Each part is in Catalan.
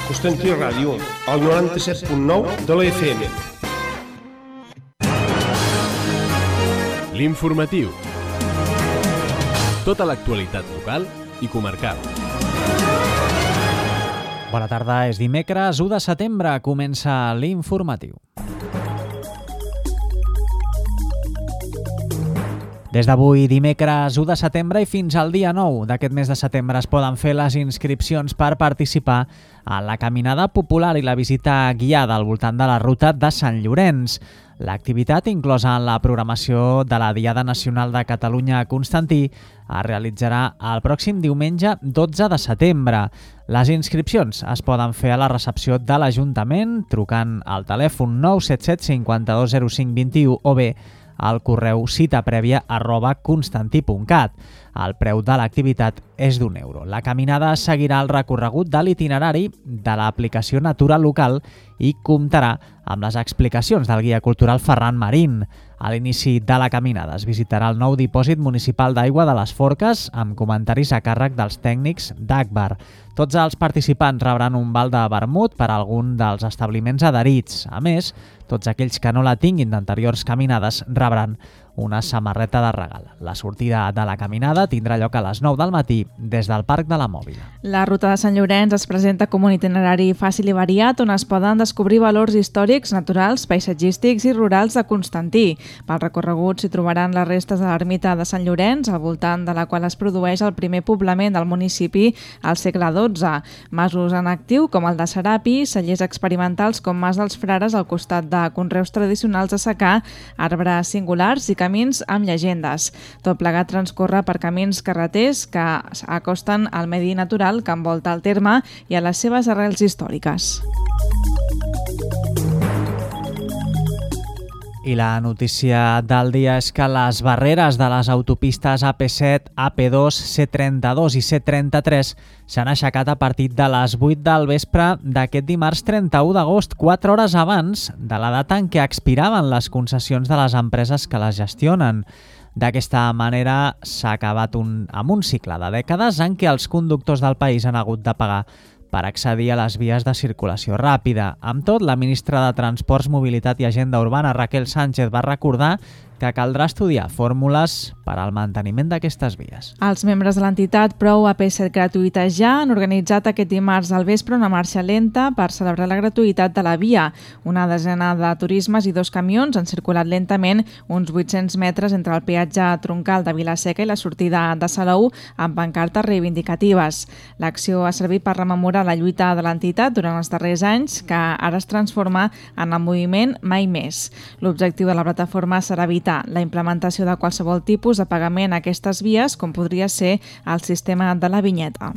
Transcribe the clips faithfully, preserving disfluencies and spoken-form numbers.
Constantí Ràdio, al noranta-set punt nou de la F M. L'informatiu. Tota l'actualitat local i comarcal. Bona tarda, és dimecres u de setembre, comença l'informatiu. Des d'avui, dimecres u de setembre i fins al dia nou d'aquest mes de setembre es poden fer les inscripcions per participar a la caminada popular i la visita guiada al voltant de la ruta de Sant Llorenç. L'activitat, inclosa en la programació de la Diada Nacional de Catalunya a Constantí, es realitzarà el pròxim diumenge dotze de setembre. Les inscripcions es poden fer a la recepció de l'Ajuntament trucant al telèfon nou set set cinquanta-dos zero cinc vint-i-u o bé al correu citaprèvia arroba constantí punt cat. El preu de l'activitat és d'un euro. La caminada seguirà el recorregut de l'itinerari de l'aplicació Natura Local i comptarà amb les explicacions del guia cultural Ferran Marín. A l'inici de la caminada es visitarà el nou dipòsit municipal d'aigua de les Forques amb comentaris a càrrec dels tècnics d'Agbar. Tots els participants rebran un val de vermut per a algun dels establiments adherits. A més, tots aquells que no la tinguin d'anteriors caminades rebran una samarreta de regal. La sortida de la caminada tindrà lloc a les nou del matí des del Parc de la Mòbila. La ruta de Sant Llorenç es presenta com un itinerari fàcil i variat on es poden descobrir valors històrics, naturals, paisatgístics i rurals de Constantí. Pel recorregut s'hi trobaran les restes de l'ermita de Sant Llorenç, al voltant de la qual es produeix el primer poblament del municipi al segle dotze. Masos en actiu com el de Serapi, cellers experimentals com Mas dels Frares al costat de conreus tradicionals de secà, arbres singulars i camins amb llegendes. Tot plegat transcorre per camins carreters que acosten al medi natural que envolta el terme i a les seves arrels històriques. I la notícia del dia és que les barreres de les autopistes A P set, A P dos, C trenta-dos i C trenta-tres s'han aixecat a partir de les vuit del vespre d'aquest dimarts trenta-u d'agost, quatre hores abans de la data en què expiraven les concessions de les empreses que les gestionen. D'aquesta manera s'ha acabat un, amb un cicle de dècades en què els conductors del país han hagut de pagar per accedir a les vies de circulació ràpida. Amb tot, la ministra de Transports, Mobilitat i Agenda Urbana, Raquel Sánchez, va recordar que caldrà estudiar fórmules per al manteniment d'aquestes vies. Els membres de l'entitat Prou A P set Gratuïta Ja han organitzat aquest dimarts al vespre una marxa lenta per celebrar la gratuïtat de la via. Una desena de turismes i dos camions han circulat lentament uns vuit-cents metres entre el peatge troncal de Vila-seca i la sortida de Salou amb pancartes reivindicatives. L'acció ha servit per rememorar la lluita de l'entitat durant els darrers anys, que ara es transforma en el moviment Mai Més. L'objectiu de la plataforma serà evitar la implementació de qualsevol tipus de pagament a aquestes vies, com podria ser el sistema de la vinyeta.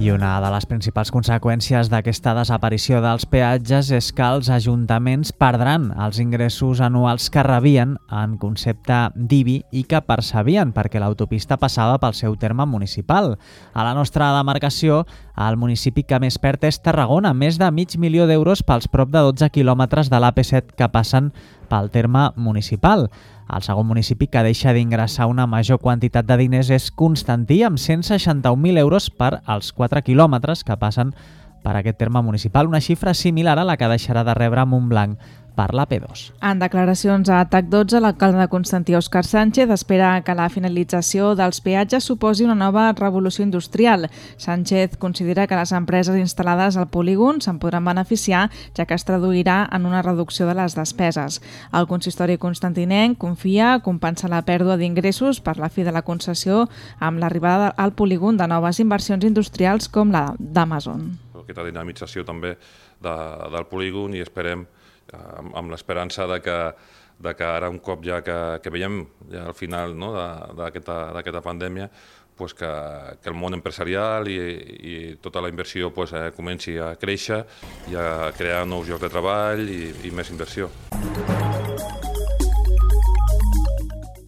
I una de les principals conseqüències d'aquesta desaparició dels peatges és que els ajuntaments perdran els ingressos anuals que rebien en concepte d'I B I i que percebien perquè l'autopista passava pel seu terme municipal. A la nostra demarcació, el municipi que més perd és Tarragona, més de mig milió d'euros pels prop de dotze quilòmetres de l'A P set que passen pel terme municipal. El segon municipi que deixa d'ingressar una major quantitat de diners és Constantí, amb cent seixanta-un mil euros per als quatre quilòmetres que passen per aquest terme municipal, una xifra similar a la que deixarà de rebre Montblanc per l'A P dos. En declaracions a TAC dotze, l'alcalde de Constantí, Òscar Sánchez, espera que la finalització dels peatges suposi una nova revolució industrial. Sánchez considera que les empreses instal·lades al polígon se'n podran beneficiar, ja que es traduirà en una reducció de les despeses. El consistori constantinenc confia compensar la pèrdua d'ingressos per la fi de la concessió amb l'arribada al polígon de noves inversions industrials com la d'Amazon. Aquesta dinamització també de, del polígon i esperem amb, amb l'esperança de que, de que ara un cop ja que, que veiem ja al final no, d'aquesta pandèmia pues que, que el món empresarial i, i tota la inversió pues, eh, comenci a créixer i a crear nous llocs de treball i, i més inversió.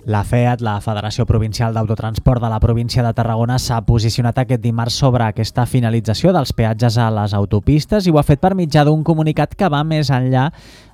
La FEAT, la Federació Provincial d'Autotransport de la província de Tarragona, s'ha posicionat aquest dimarts sobre aquesta finalització dels peatges a les autopistes i ho ha fet per mitjà d'un comunicat que va més enllà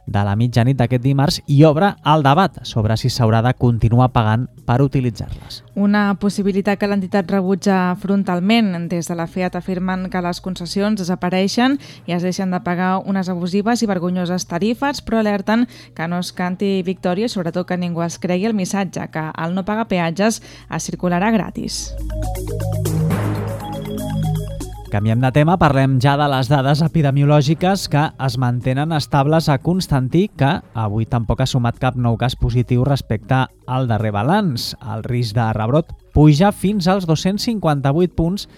de la mitjanit d'aquest dimarts i obre el debat sobre si s'haurà de continuar pagant per utilitzar-les. Una possibilitat que l'entitat rebutja frontalment. Des de la FEAT afirmen que les concessions desapareixen i es deixen de pagar unes abusives i vergonyoses tarifes, però alerten que no es canti victòria i sobretot que ningú es cregui el missatge, que al no pagar peatges es circularà gratis. Canviem de tema, parlem ja de les dades epidemiològiques que es mantenen estables a Constantí, que avui tampoc ha sumat cap nou cas positiu respecte al darrer balanç. El risc de rebrot puja fins als dos-cents cinquanta-vuit punts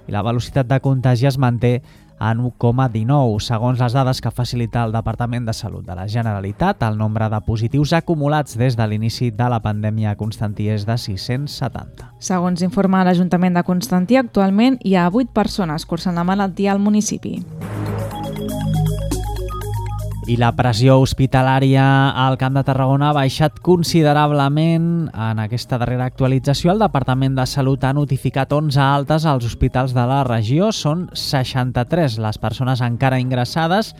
i la velocitat de contagi es manté en u coma dinou. Segons les dades que facilita el Departament de Salut de la Generalitat, el nombre de positius acumulats des de l'inici de la pandèmia a Constantí és de sis-cents setanta. Segons informa l'Ajuntament de Constantí, actualment hi ha vuit persones cursant la malaltia al municipi. I la pressió hospitalària al Camp de Tarragona ha baixat considerablement. En aquesta darrera actualització, el Departament de Salut ha notificat onze altes als hospitals de la regió. Són seixanta-tres les persones encara ingressades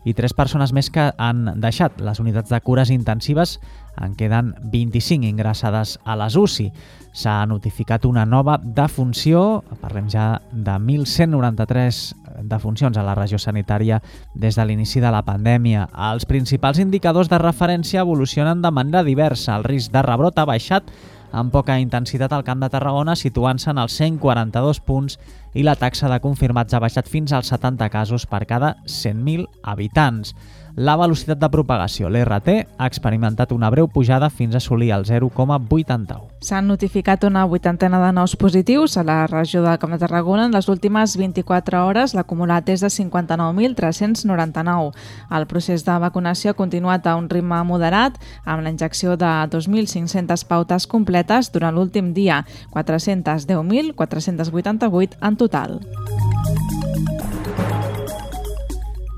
i tres persones més que han deixat les unitats de cures intensives. En queden vint-i-cinc ingressades a les U C I. S'ha notificat una nova defunció, parlem ja de mil cent noranta-tres defuncions a la regió sanitària des de l'inici de la pandèmia. Els principals indicadors de referència evolucionen de manera diversa. El risc de rebrot ha baixat amb poca intensitat al Camp de Tarragona, situant-se en els cent quaranta-dos punts, i la taxa de confirmats ha baixat fins als setanta casos per cada cent mil habitants. La velocitat de propagació, l'R T, ha experimentat una breu pujada fins a assolir el zero coma vuitanta-u. S'han notificat una vuitantena de nous positius a la regió del Camp de Tarragona. En les últimes vint-i-quatre hores l'acumulat és de cinquanta-nou mil tres-cents noranta-nou. El procés de vacunació ha continuat a un ritme moderat, amb la injecció de dos mil cinc-centes pautes completes durant l'últim dia, quatre-cents deu mil quatre-cents vuitanta-vuit en total.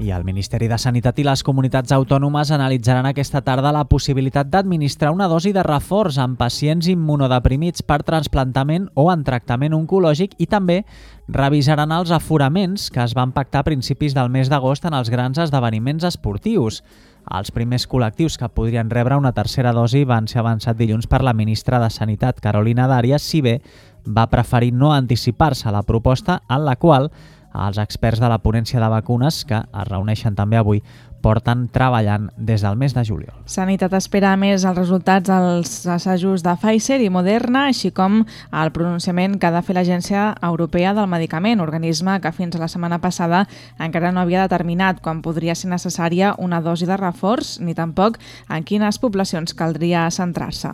I el Ministeri de Sanitat i les comunitats autònomes analitzaran aquesta tarda la possibilitat d'administrar una dosi de reforç en pacients immunodeprimits per trasplantament o en tractament oncològic i també revisaran els aforaments que es van pactar a principis del mes d'agost en els grans esdeveniments esportius. Els primers col·lectius que podrien rebre una tercera dosi van ser avançat dilluns per la ministra de Sanitat, Carolina Darias, si bé va preferir no anticipar-se a la proposta en la qual els experts de la ponència de vacunes, que es reuneixen també avui, porten treballant des del mes de juliol. Sanitat espera a més els resultats dels assajos de Pfizer i Moderna, així com el pronunciament que ha de fer l'Agència Europea del Medicament, organisme que fins a la setmana passada encara no havia determinat quan podria ser necessària una dosi de reforç, ni tampoc en quines poblacions caldria centrar-se.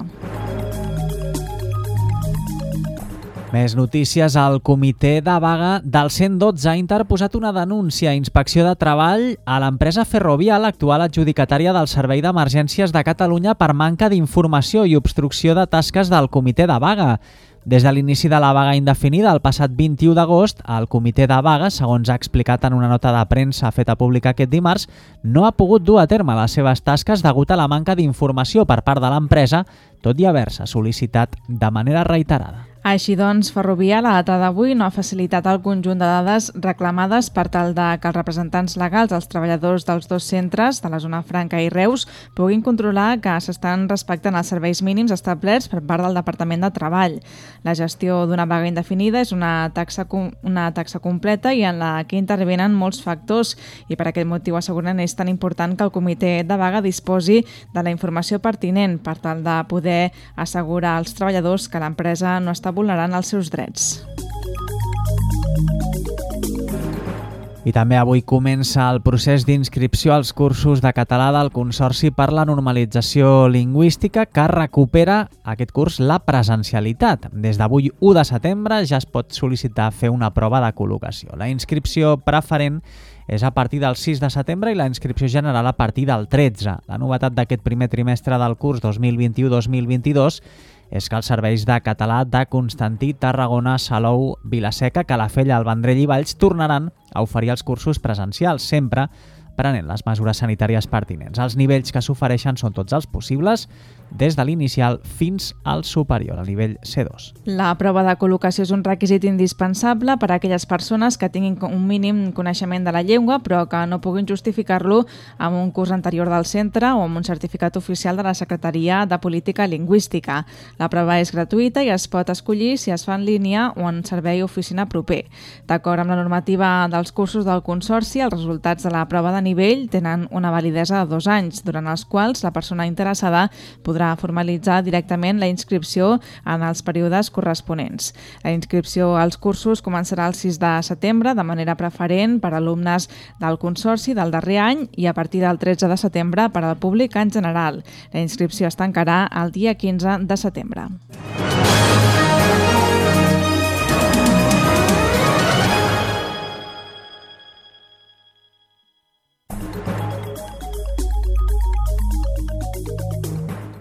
Més notícies. El comitè de vaga del cent dotze ha interposat una denúncia a Inspecció de Treball a l'empresa Ferrovial, actual adjudicatària del Servei d'Emergències de Catalunya, per manca d'informació i obstrucció de tasques del comitè de vaga. Des de l'inici de la vaga indefinida, el passat vint-i-u d'agost, el comitè de vaga, segons ha explicat en una nota de premsa feta pública aquest dimarts, no ha pogut dur a terme les seves tasques degut a la manca d'informació per part de l'empresa, tot i haver-se sol·licitat de manera reiterada. Així doncs, Ferrovial, a data d'avui, no ha facilitat el conjunt de dades reclamades per tal de que els representants legals dels treballadors dels dos centres de la zona franca i Reus puguin controlar que s'estan respectant els serveis mínims establerts per part del Departament de Treball. La gestió d'una vaga indefinida és una taxa, una taxa completa i en la que intervenen molts factors, i per aquest motiu asseguren és tan important que el comitè de vaga disposi de la informació pertinent per tal de poder assegurar als treballadors que l'empresa no està vulnerant els seus drets. I també avui comença el procés d'inscripció als cursos de català del Consorci per la Normalització Lingüística, que recupera aquest curs la presencialitat. Des d'avui, u de setembre, ja es pot sol·licitar fer una prova de col·locació. La inscripció preferent és a partir del sis de setembre i la inscripció general a partir del tretze. La novetat d'aquest primer trimestre del curs dos mil vint-i-u dos mil vint-i-dos és que els serveis de català de Constantí, Tarragona, Salou, Vilaseca, Calafell, el Vendrell i Valls tornaran a oferir els cursos presencials, sempre prenent les mesures sanitàries pertinents. Els nivells que s'ofereixen són tots els possibles, des de l'inicial fins al superior, al nivell C dos. La prova de col·locació és un requisit indispensable per a aquelles persones que tinguin un mínim coneixement de la llengua però que no puguin justificar-lo amb un curs anterior del centre o amb un certificat oficial de la Secretaria de Política Lingüística. La prova és gratuïta i es pot escollir si es fa en línia o en servei oficina proper. D'acord amb la normativa dels cursos del Consorci, els resultats de la prova de nivell tenen una validesa de dos anys, durant els quals la persona interessada podrà formalitzar directament la inscripció en els períodes corresponents. La inscripció als cursos començarà el sis de setembre de manera preferent per a alumnes del Consorci del darrer any i a partir del tretze de setembre per al públic en general. La inscripció es tancarà el dia quinze de setembre.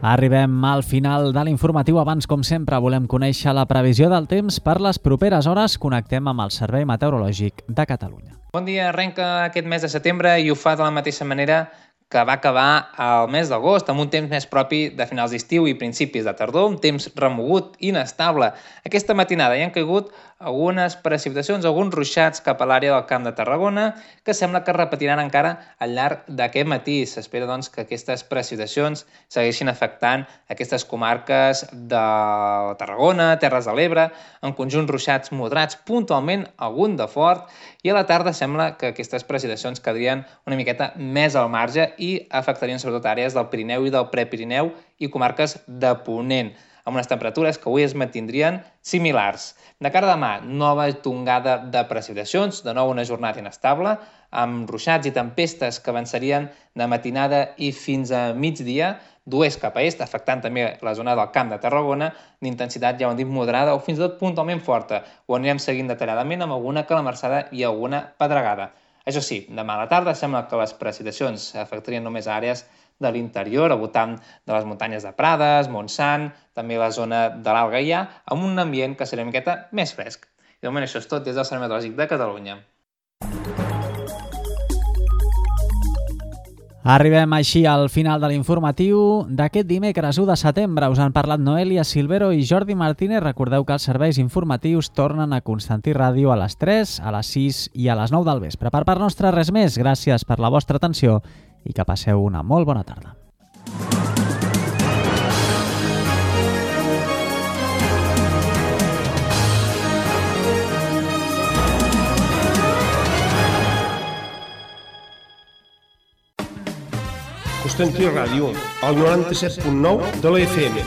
Arribem al final de l'informatiu. Abans, com sempre, volem conèixer la previsió del temps per les properes hores. Connectem amb el Servei Meteorològic de Catalunya. Bon dia, arrenca aquest mes de setembre i ho fa de la mateixa manera que va acabar el mes d'agost, amb un temps més propi de finals d'estiu i principis de tardor, un temps remogut, inestable. Aquesta matinada hi han caigut algunes precipitacions, alguns ruixats cap a l'àrea del Camp de Tarragona, que sembla que es repetiran encara al llarg d'aquest matí. S'espera, doncs, que aquestes precipitacions segueixin afectant aquestes comarques de Tarragona, Terres de l'Ebre, en conjunt ruixats moderats, puntualment algun de fort, i a la tarda sembla que aquestes precipitacions quedarien una miqueta més al marge i afectarien sobretot àrees del Pirineu i del Prepirineu i comarques de Ponent, amb unes temperatures que avui es mantindrien similars. De cara a demà, nova tongada de precipitacions, de nou una jornada inestable, amb ruixats i tempestes que avançarien de matinada i fins a migdia, d'oest cap a est, afectant també la zona del Camp de Tarragona, d'intensitat, ja ho hem dit, moderada o fins i tot puntualment forta. Ho anirem seguint detalladament amb alguna calamarsada i alguna pedregada. Això sí, demà a la tarda sembla que les precipitacions afectarien només àrees de l'interior, al voltant de les muntanyes de Prades, Montsant, també la zona de l'Alt Gaià, amb un ambient que serà una miqueta més fresc. I de moment això és tot des del Servei Meteorològic de Catalunya. Arribem així al final de l'informatiu d'aquest dimecres u de setembre. Us han parlat Noelia Silvero i Jordi Martínez. Recordeu que els serveis informatius tornen a Constantí Ràdio a les tres, a les sis i a les nou del vespre. Per part nostra, res més. Gràcies per la vostra atenció i que passeu una molt bona tarda. Constantí Ràdio, al noranta-set punt nou de la F M.